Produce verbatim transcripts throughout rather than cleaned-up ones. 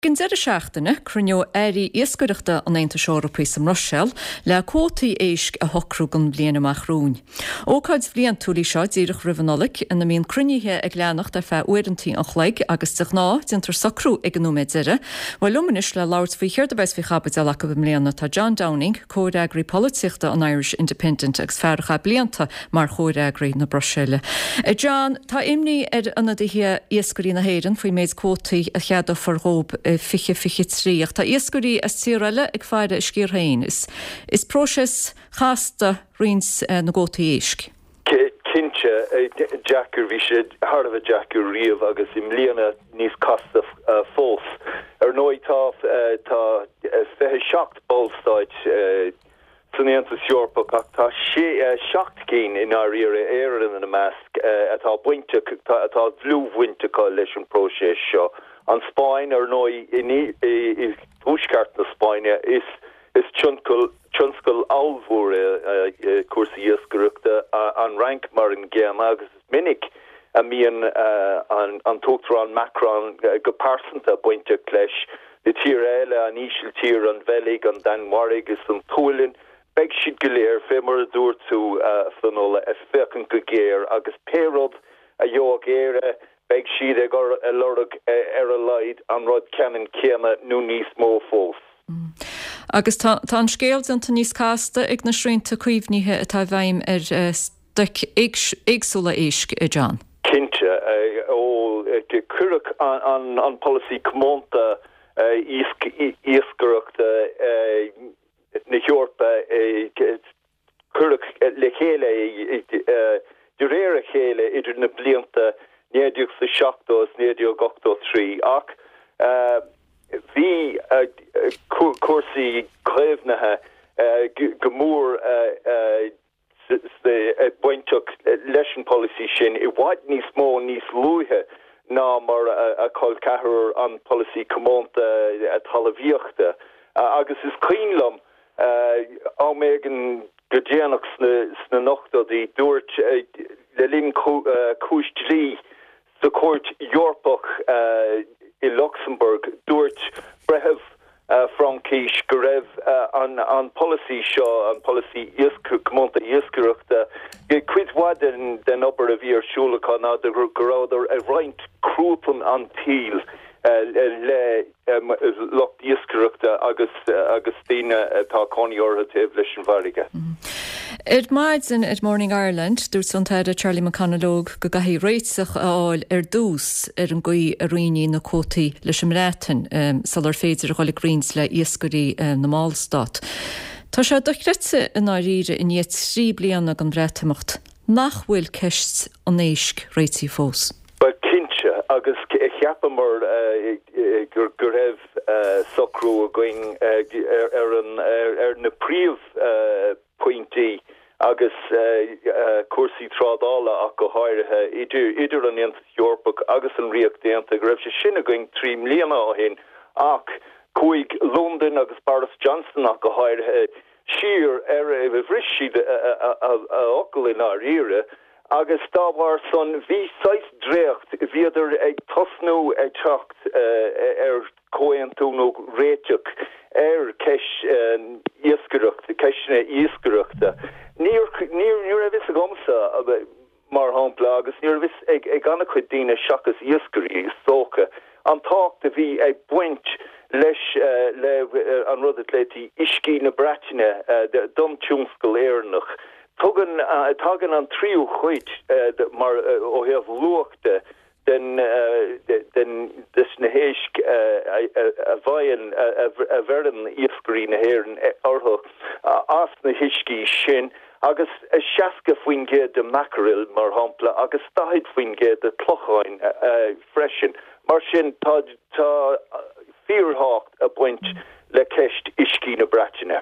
Ag an deireadh seachtaine, cruinneoidh airí iascaireachta an Aontais Eorpaigh sa mBruiséil le cuótaí éisc a shocrú don bhliain amach romhainn. Ócáid bhliantúil í seo díreach roimh an Nollaig ina mbíonn cruinnithe ag leanacht ar feadh uaireanta an chloig agus de ghnáth déantar socrú ag an nóiméad deiridh. Bhuel liom anois le labhairt faoi céard a bheas faoi chaibidil acu i mbliana tá John Downing, comhfhreagraí polaitíochta an Irish Independent agus fear a chaith blianta mar chomhfhreagraí na Bruiséile. John, tá imní ar ionadaithe iascairí na hÉireann faoin méid cuótaí a cheadófar dóibh fiche fiche trí ach tá iascairí as tíortha eile ag faire a sciar féin. Is, is próiseas casta roinnt na gcuótaí éisc. Cinnte deacair bhí sé thar a bheith deacair riamh agus i mbliana níos casta fós. Ar ndóigh tá tá fiche seacht ballstáit san Aontas Eorpach ach tá sé seacht gcinn i ndáiríre Éire ina measc atá bainteach atá dlúthbhaint acu leis an próiseas seo. An Spáinn ar ndóigh i dtuaisceart na Spáinne is is tionscal tionscal ollmhór é cúrsaí iascaireachta an Fhrainc mar an gcéanna agus is minic a mbíonn an an tUachtarán Macron go pearsanta bainteach leis na tíortha eile an Ísiltír, an Bheilg, an Danmhairg is an tSualainn, beidh siad go léir fé mar a dúirt tú Fionnuala ag féachaint go géar agus pé rud a gheobhadh Éire beidh siad ag lorg ar a laghad an rud ceannann céanna nó níos mó fós. Agus tá tá an scéal déanta níos casta ag na srianta caomhnaithe atá i bhfeidhm ar stoic éagsúla éisc, a John. Cinnte, ó cuireadh an an polasaí comónta iascaireachta na hEorpa cuireadh le chéile de réir a chéile idir na blianta naoi déag seachtó is naoi déag ochtó trí ach bhí cúrsaí caomhnaithe go mór bainteach leis an polasaí sin i bhfad níos mó níos luaithe ná mar a chol ceathrar an polasaí comónta talmhaíochta agus is cuimhin liom am éigin go déanach sna hochtóidí dúirt le linn cúis dlí sa Chúirt Eorpach i Lucsamburg dúirt breitheamh Fraincis go raibh an an polasaí seo an polasaí comónta iascaireachta cuid mhaith den den obair a bhí ar siúl acu ná go rabhadar ag roinnt cruatan an tsaoil le lucht iascaireachta agus agus daoine atá cónaí orthu taobh leis an bhfarraige. Ar maidin ar Morning Ireland, dúirt an tAire Charlie McConalogue go gcaithfí réiteach a fháil ar dtús ar an gcaoi a roinnfí na cuótaí leis an mBreatain sular féidir a dhul ag roinnt le iascairí na mballstát. Tá sé dochreidte i ndáiríre i ndiaidh trí bliana den Bhreatimeacht nach bhfuil ceist an éisc réitithe fós. Ba cinnte agus cheapamar gur go raibh socrú againn ar an ar na príomhphointí agus cúrsaí trádála ach go háirithe idir idir an Aontas Eorpach agus an Ríocht Aontaithe go raibh sé sin againn trí bliana ó shin ach chuaigh Londain agus Boris Johnson ach go háirithe siar ar bhris siad a fhocal i ndáiríre agus dá bharr san bhí saghas dréacht bhíodar ag tosnú ag teacht ar comhaontú nó réiteach ar ceist iascaireachta ceisteanna iascaireachta. Níor ní raibh fhios agamsa mar shampla agus ní raibh fhios ag ag an-chuid daoine seachas iascairí is dócha an tábhacht a bhí ag baint leis le an rud a glaoití uiscí na Breataine don tionscal Éireannach. Tugann tagann an tríú cuid mar ó thaobh luach de den den des na héisc a bhfaigheann a bheireann iascairí na hÉireann orthu as na huiscí sin agus seasca faoin gcéad de mackerel mar shampla agus daichead faoin gcéad de chlocháin freisin. Mar sin tá tá fíorthábhacht ag baint le ceist uiscí na Breataine.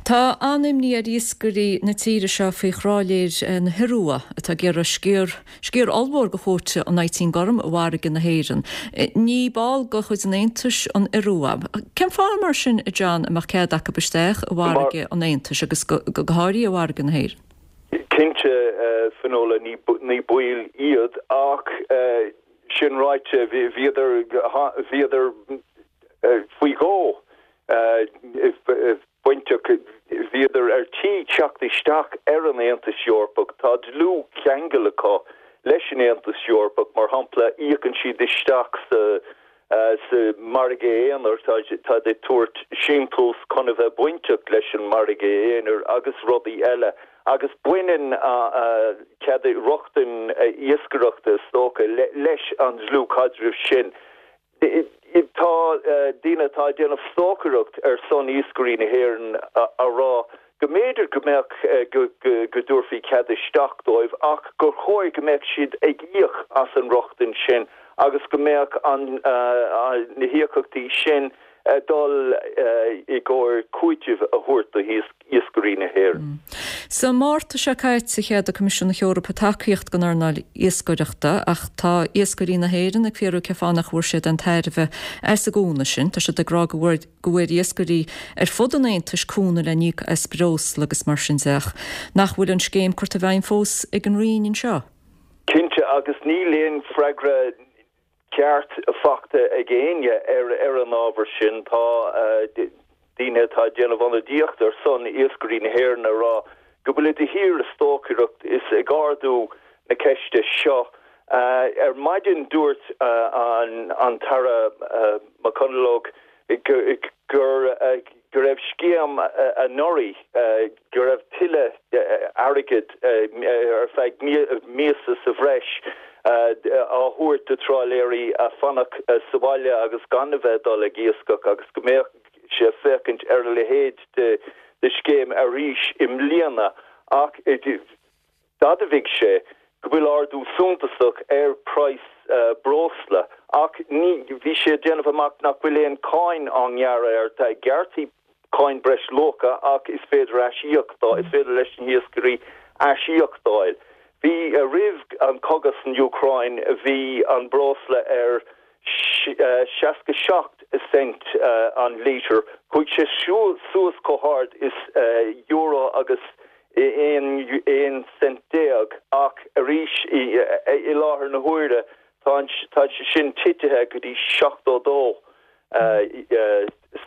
Tá an-imní ar iascairí na tíre seo faoi thrálaeir na hIorua atá ag iarraidh sciar sciar ollmhór de chuóta an fhaighteáin gorm i bhfarraige na hÉireann. Ní ball de chuid an Aontais an Iorua. Cén fáth mar sin, a John, a mbeadh cead acu isteach i bhfarraige an Aontais agus go go háirithe i bhfarraige na hÉireann? Cinnte, Fionnuala, ní ní baill iad ach sin ráite bhíodar bhíodar isteach ar an Aontas Eorpach, tá dlúthcheangal acu leis an Aontas Eorpach, mar shampla íocann siad isteach sa sa margadh aonair tá tá ag tabhairt síntiús chun a bheith bainteach leis an margadh aonair agus rudaí eile agus baineann cead rochtain iascaireachta is dócha leis an dlúthchaidreamh sin. Tá daoine atá ag déanamh stocaireacht ar son iascairí na hÉireann á rá go mb'fhéidir go mbeadh go dtabharfaí cead isteach dóibh ach gur chóir go mbeadh siad ag íoc as an rochtain sin agus go mbeadh an na híocaíochtaí sin dul i gcomhair cúiteamh a thabhairt do iascairí na hÉireann. Sa Márta seo caite cheadaigh Coimisiún na hEorpa tacaíocht don earnáil iascaireachta ach tá iascairí na hÉireann ag fiafraí cén fáth nach bhfuair siad aon tairbhe as an gcúnamh sin. Tá siad ag rá go bhfuair go bhfuair iascairí ar fud an Aontais cúnamh le n-íoc as breosla agus mar sin de ach nach bhfuil an scéim curtha i bhfeidhm fós ag an Roinn anseo. Cinnte agus níl aon freagra ceart faighte ag éinne ar ar an ábhar sin tá daoine atá ag déanamh ionadaíocht ar son iascairí na hÉireann ag rá go bhfuil de shíor ag stocaireacht is ag ardú na ceiste seo. Ar maidin dúirt an an tAire McConalogue gur go raibh scéim anuraidh go raibh tuilleadh airgid ar feadh míosa sa bhreis á thabhairt do trálaeirí a fanacht sa bhaile agus gan a bheith ag dul ag iascach agus go mbeadh sé féachaint ar a leithéid de de scéim arís i mbliana ach d'admhaigh sé go bhfuil ardú suntasach ar praghas breosla ach ní bhí sé ag déanamh amach nach bhfuil aon cáin á ngearradh air tá gearrtha cáin breisluacha ach is féidir aisíoc is féidir leis na hiascairí aisíoc a fháil. Bhí roimh an cogadh san Úcráin bhí an breosla ar seasca seacht cent an lítear, chuaigh sé suas chomh hard is euro agus aon aon cent déag ach arís i láthair na huaire tá tá sé sin titithe go dtí seachtó dó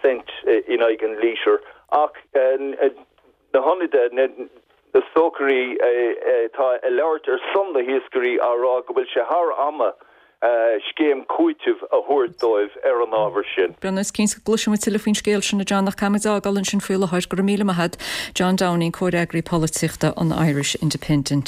cent in aghaidh an lítear ach na hionadaithe na stocairí atá ag labhairt ar son na hiascairí á rá go bhfuil sé thar ama scéim cúitimh a thabhairt dóibh ar an ábhar sin. Brendan, is cinnte go gcloisfidh muid tuilleadh faoin scéal sin a John ach caithfimid fágáil ansin faoi láthair go raibh míle maith agat John Downing, Comhfhreagraí Polaitíochta an Irish Independent.